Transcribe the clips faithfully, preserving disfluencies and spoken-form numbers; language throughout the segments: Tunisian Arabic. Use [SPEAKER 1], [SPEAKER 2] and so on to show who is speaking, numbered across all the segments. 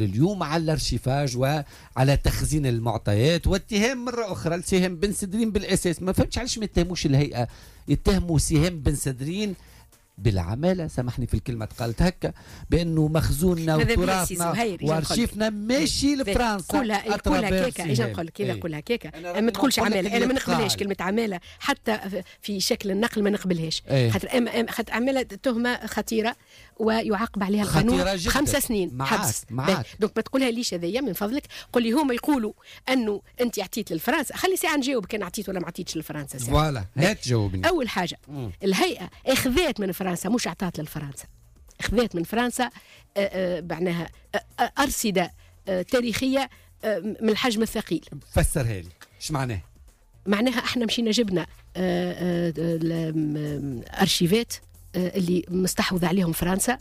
[SPEAKER 1] اليوم على ال archivage وعلى تخزين المعطيات، واتهام مرة اخرى لسهام بن سدرين بالاساس. ما فهمتش علاش ما يتهموش الهيئه، يتهموا سهام بن سدرين بالعماله، سامحني في الكلمة تقالت هكا، بانه مخزوننا وتراثنا وارشيفنا ماشي لفرنسا.
[SPEAKER 2] قولها قولها كيكا، اجا نقول لك اذا قولها كيكا ما تقولش عماله، انا ما نقبلهاش كلمة عماله حتى في شكل النقل ما نقبلهاش، خاطر اما خاطر عماله تهمه خطيرة ويعاقب عليها القانون خمس سنين حبس. donc ما تقولها ليش هذايا من فضلك، قول لي هما يقولوا انه انت عطيت لفرنسا، خلي ساعة نجاوب كان عطيت ولا ما عطيتش لفرنسا.
[SPEAKER 1] voilà هات جاوبني.
[SPEAKER 2] اول حاجة مم. الهيئة اخذت من فرنسا، مش اعطت لفرنسا، اخذت من فرنسا معناها ارصده تاريخية من الحجم الثقيل.
[SPEAKER 1] فسرها لي ايش معناه؟
[SPEAKER 2] معناها احنا مشينا جبنا ارشيفات اللي مستحوذة عليهم فرنسا،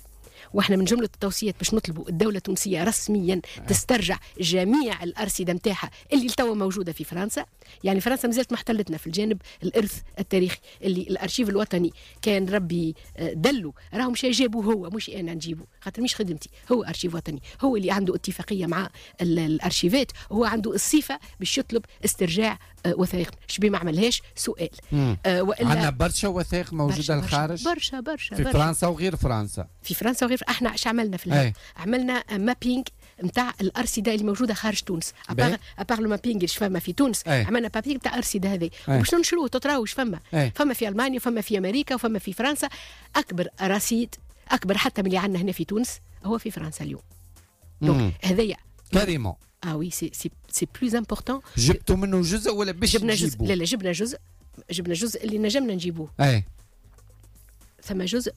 [SPEAKER 2] واحنا من جملة التوصيات باش نطلبوا الدولة التونسية رسميا تسترجع جميع الارصده نتاعها اللي توا موجودة في فرنسا. يعني فرنسا مازالت محتلتنا في الجانب الارث التاريخي اللي الارشيف الوطني كان ربي دلو راهم مش جابوه هو، مش انا نجيبه خاطر مش خدمتي، هو ارشيف وطني، هو اللي عنده اتفاقية مع الارشيفات، هو عنده الصفة باش يطلب استرجاع وثائق. شبيه ما عملهاش سؤال.
[SPEAKER 1] آه والا عندنا برشا وثائق موجودة الخارج،
[SPEAKER 2] برشا برشا
[SPEAKER 1] في برشا. فرنسا وغير فرنسا،
[SPEAKER 2] في فرنسا وغير. احنا اش عملنا في الهيئة؟ عملنا mapping نتاع الارصده اللي موجودة خارج تونس، à part le mapping اللي فما في تونس. أي. عملنا mapping نتاع الارصده هذه باش ننشروه تراو اش فما. أي. فما في المانيا، فما في امريكا، وفما في فرنسا. اكبر رصيد، اكبر حتى من اللي عندنا هنا في تونس هو في فرنسا اليوم. donc هذايا
[SPEAKER 1] carrément
[SPEAKER 2] اه oui c'est c'est c'est plus important.
[SPEAKER 1] جبتوا منه جزء ولا باش
[SPEAKER 2] جبنا جزء؟ لا لا، جبنا جزء، جبنا جزء اللي نجمنا نجيبوه.
[SPEAKER 1] اي
[SPEAKER 2] ثم جزء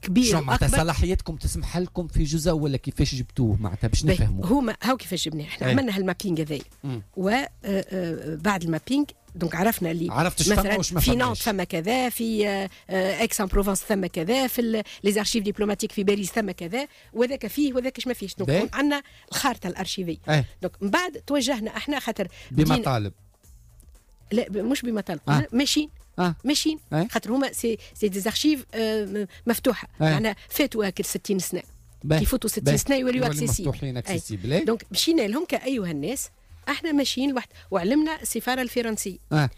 [SPEAKER 2] كبير.
[SPEAKER 1] شو معناتها صلاحيتكم تسمح لكم في جزء ولا كيفاش جبتوه معناتها باش نفهموا؟
[SPEAKER 2] هما هاو كيفاش جبناه احنا. عملنا هال mapping هذايا، وبعد ال mapping donc عرفنا اللي
[SPEAKER 1] عرفت
[SPEAKER 2] مثلا في نانت ثم كذا، في اكس ان بروفونس ثم كذا، في les archives diplomatiques في باريس ثم كذا، وذاك فيه وذاك ما فيش. donc عندنا الخارطة الارشيفيه. donc من بعد توجهنا احنا خاطر
[SPEAKER 1] بمطالب،
[SPEAKER 2] لا مش بمطالب، آه. ماشيين آه. ماشيين آه. خاطر هما c'est c'est des archives آه مفتوحة، آه. معناها فاتوا هاك ستين سنة، كي يفوتوا ستين سنة يوليو
[SPEAKER 1] accessibles.
[SPEAKER 2] donc مشينا لهم كايها الناس، احنا ماشيين لوحد، وعلمنا السفارة الفرنسية.
[SPEAKER 1] آه.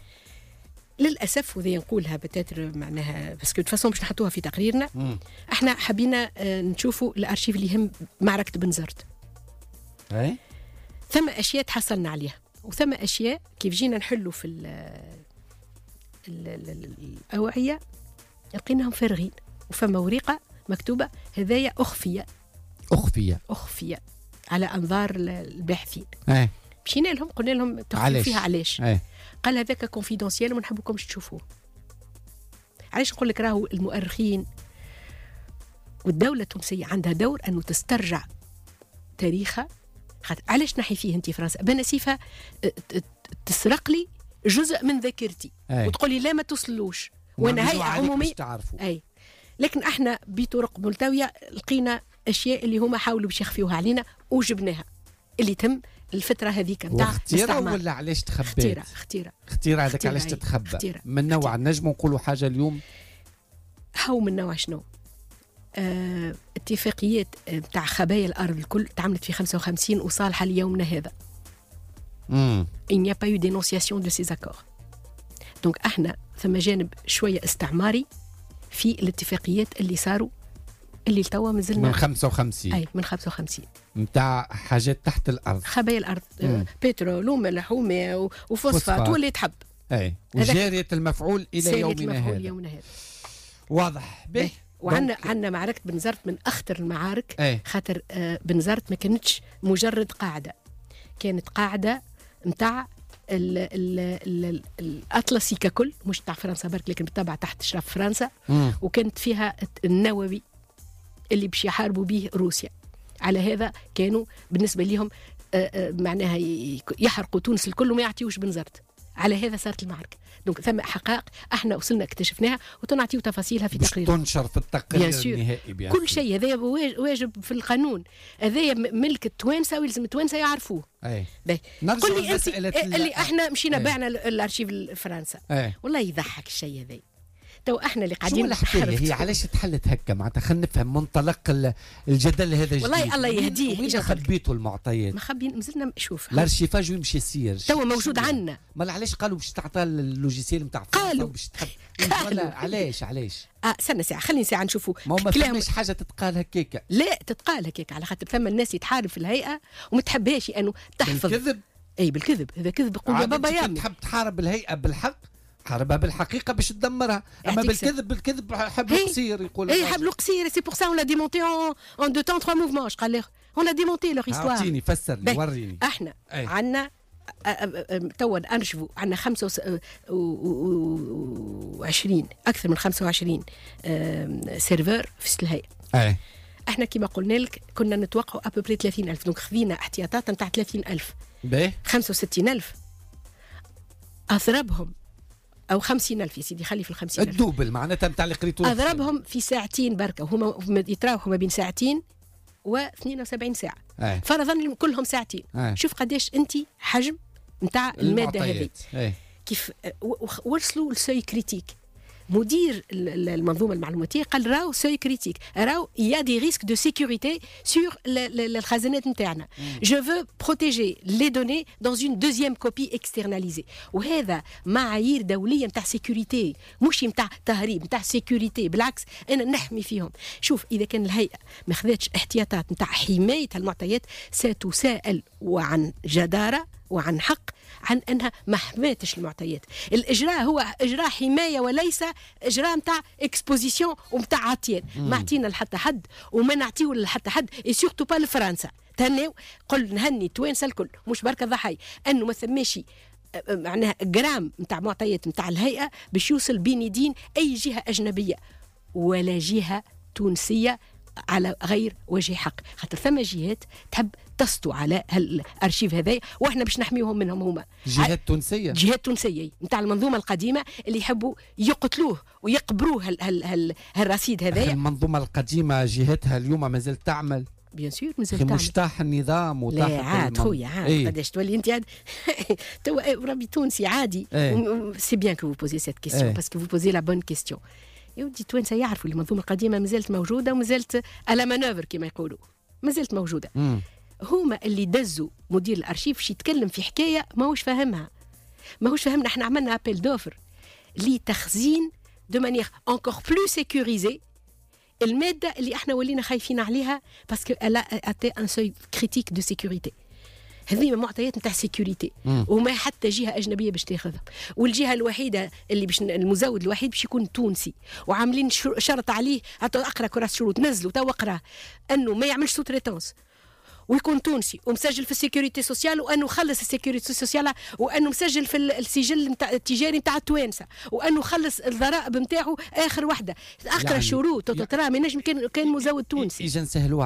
[SPEAKER 2] للاسف وذي نقولها peut-être معناها parce que de toute façon باش نحطوها في تقريرنا. مم. احنا حبينا آه نشوفوا الارشيف اللي يهم معركة بنزرت.
[SPEAKER 1] اي
[SPEAKER 2] ثم اشياء تحصلنا عليها، وثم اشياء كيف جينا نحلوا في ال ال الاوعية لقيناهم فارغين، وفما ورقة مكتوبة هذايا اخفي
[SPEAKER 1] اخفي
[SPEAKER 2] اخفي على انظار الباحثين.
[SPEAKER 1] اي
[SPEAKER 2] مشينا لهم قلنا لهم تخفي فيها علاش؟
[SPEAKER 1] ايه؟
[SPEAKER 2] قال هذاك confidentiel وما نحبكمش تشوفوه. علاش نقول لك راهو المؤرخين والدولة التونسية عندها دور انه تسترجع تاريخها. خاطر علاش نحي فيه انت فرنسا؟ بنا صفة تسرق لي جزء من ذاكرتي.
[SPEAKER 1] أي.
[SPEAKER 2] وتقول لي لا ما توصلوش وانا هيئة عموميه. اي لكن احنا بطرق ملتويه لقينا اشياء اللي هما حاولوا باش يخفيوها علينا وجبناها، اللي تم الفترة هذيك
[SPEAKER 1] نتاع اختيرة ولا علاش تخبات؟
[SPEAKER 2] اختيرة اختيرة
[SPEAKER 1] اختيرة هذاك علاش تتخبى؟ من نوع نجم نقولوا حاجة اليوم؟
[SPEAKER 2] هاو من نوع شنو؟ اه اتفاقيات نتاع خبايا الأرض الكل تعملت في خمسة وخمسين وصالحة ليومنا هذا.
[SPEAKER 1] امم
[SPEAKER 2] Il n'y a pas eu dénonciation de ces accords. donc احنا ثم جانب شوية استعماري في الاتفاقيات اللي صاروا اللي توا مازلنا
[SPEAKER 1] من خمسة وخمسين.
[SPEAKER 2] اي من خمسة وخمسين
[SPEAKER 1] نتاع حاجات تحت الارض،
[SPEAKER 2] خبايا الارض، مم. بترول وملح وماء وفوسفات واللي تحب.
[SPEAKER 1] اي وجارية المفعول الى يومنا هذا.
[SPEAKER 2] يومنا هذا.
[SPEAKER 1] واضح به.
[SPEAKER 2] وعندنا عندنا معركة بنزرت من اخطر المعارك.
[SPEAKER 1] أي.
[SPEAKER 2] خاطر آه بنزرت ما كانتش مجرد قاعدة، كانت قاعدة نتاع الاطلسي ككل، مش تاع فرنسا برك، لكن بالطبع تحت اشراف فرنسا.
[SPEAKER 1] مم.
[SPEAKER 2] وكانت فيها النووي اللي باش يحاربوا به روسيا. على هذا كانوا بالنسبة لهم معناها يحرقوا تونس الكل وما يعطيوش بنزرت. على هذا صارت المعركة. donc ثم حقائق احنا وصلنا اكتشفناها وتنعطيو تفاصيلها في تقرير
[SPEAKER 1] تنشر في التقرير النهائي.
[SPEAKER 2] كل شيء هذا واجب في القانون، هذا ملك التوانسة ويلزم التوانسة يعرفوه.
[SPEAKER 1] اي
[SPEAKER 2] قل لي انت اللي احنا مشينا بعنا الارشيف لفرنسا.
[SPEAKER 1] أي.
[SPEAKER 2] والله يضحك الشيء هذا. تو احنا اللي قاعدين
[SPEAKER 1] شو الحكاية هي علاش تحلت هكا معناتها؟ خلينا نفهم منطلق الجدل هذا الجديد.
[SPEAKER 2] والله الله يهديه.
[SPEAKER 1] وين خبيتوا المعطيات؟
[SPEAKER 2] ما خبين مازلنا شوف
[SPEAKER 1] l'archivage وين باش يصير؟
[SPEAKER 2] تو موجود عندنا.
[SPEAKER 1] ما علاش قالوا باش تعطى ال logiciel نتاع
[SPEAKER 2] قالوا
[SPEAKER 1] باش تحب علاش علاش؟
[SPEAKER 2] اه استنى ساعة، خليني ساعة نشوفوا.
[SPEAKER 1] ما هو ما فماش حاجة تتقال هكاكا.
[SPEAKER 2] لا تتقال هكاكا على خاطر ثم الناس يتحارب في الهيئة وما تحبهاش انه تحفظ.
[SPEAKER 1] بالكذب؟
[SPEAKER 2] اي بالكذب، هذا كذب. يقول يا بابا يا
[SPEAKER 1] تحب تحارب الهيئة بالحق حاربها بالحقيقة باش تدمرها، اما بالكذب بالكذب حبل قصير يقول.
[SPEAKER 2] اي حبل قصير، c'est pour ça on l'a démonté en deux temps trois mouvements. اش قال on a démonté leur histoire.
[SPEAKER 1] اعطيني فسر لي وريني.
[SPEAKER 2] احنا عندنا توا ارشفوا عندنا خمسة وعشرين اكثر من خمسة وعشرين serveur في الهيئة.
[SPEAKER 1] اي
[SPEAKER 2] احنا كما قلنا لك كنا نتوقعوا à peu près ثلاثين ألف، donc خذينا احتياطات نتاع ثلاثين ألف.
[SPEAKER 1] باهي
[SPEAKER 2] خمسة وستين ألف اضربهم او خمسين ألف يا سيدي، خلي في الخمسين
[SPEAKER 1] ألف ال double معناتها نتاع اللي قريتو.
[SPEAKER 2] اضربهم في ساعتين بركة، وهما يتراوحوا ما بين ساعتين و اثنين وسبعين ساعة.
[SPEAKER 1] أي.
[SPEAKER 2] فرضا كلهم ساعتين.
[SPEAKER 1] أي.
[SPEAKER 2] شوف قداش انت حجم نتاع المادة هذه. كيف وصلوا ل seuil critique. مدير المنظومة المعلوماتيه قال راهو seuil critique، راهو il y a des risques de sécurité sur الخزانات نتاعنا. je veux protéger les données dans une deuxième copie externalisée. وهذا معايير دولية نتاع sécurité، مش نتاع تهريب، نتاع sécurité. بالعكس انا نحمي فيهم. شوف اذا كان الهيئة ما خذتش احتياطات نتاع حماية المعطيات ستساءل وعن جداره وعن حق عن انها ما حماتش المعطيات. الاجراء هو اجراء حماية وليس اجراء نتاع exposition ومتاع عطيان. ما عطينا لحتى حد وما نعطيو لحتى حد، et surtout pas لفرنسا. تهنيو قل نهني التوانسة الكل مش بركة ضحايا انه ما ثماش معناها جرام نتاع معطيات نتاع الهيئة باش يوصل بين يدين اي جهة اجنبية ولا جهة تونسية على غير وجه حق، خاطر ثم جهات تحب تسطو على الارشيف هذايا واحنا باش نحميهم منهم هما.
[SPEAKER 1] جهات تونسية،
[SPEAKER 2] جهات تونسية نتاع المنظومة القديمة اللي يحبوا يقتلوه ويقبروه هال هال هال هالرصيد هذايا.
[SPEAKER 1] المنظومة القديمة جهتها اليوم مازالت تعمل؟
[SPEAKER 2] bien sûr مازال تعمل.
[SPEAKER 1] مش طاح النظام وطاح.
[SPEAKER 2] لا عاد خويا عاد قداش تولي انت عاد توا ربي تونسي عادي. c'est bien que vous posez cette question parce que vous posez la bonne question. يا ودي التوانسة يعرفوا المنظومة القديمة مازالت موجودة ومازالت à la manœuvre كما يقولوا، مازالت موجودة.
[SPEAKER 1] مم.
[SPEAKER 2] هما اللي دزوا مدير الارشيف باش يتكلم في حكاية ماهوش فاهمها، ماهوش فاهمنا. احنا عملنا appel d'offres لتخزين de manière encore plus sécurisée المادة اللي احنا ولينا خايفين عليها parce que elle a atteint un seuil critique de sécurité. هذه معطيات نتاع sécurité وما حتى جهة اجنبية باش تاخذها، والجهة الوحيدة اللي باش المزود الوحيد باش يكون تونسي، وعاملين شرط عليه. اقرا كراس شروط نزلوا تو اقرا انه ما يعملش sous-traitance ويكون تونسي ومسجل في ال sécurité sociale، وانه خلص ال sécurité sociale، وانه مسجل في السجل نتاع التجاري نتاع التوانسة، وانه خلص الضرائب نتاعو اخر وحده. اقرا يعني الشروط ترى ما ينجم كان كان مزود تونسي.
[SPEAKER 1] اذا نسهلوها.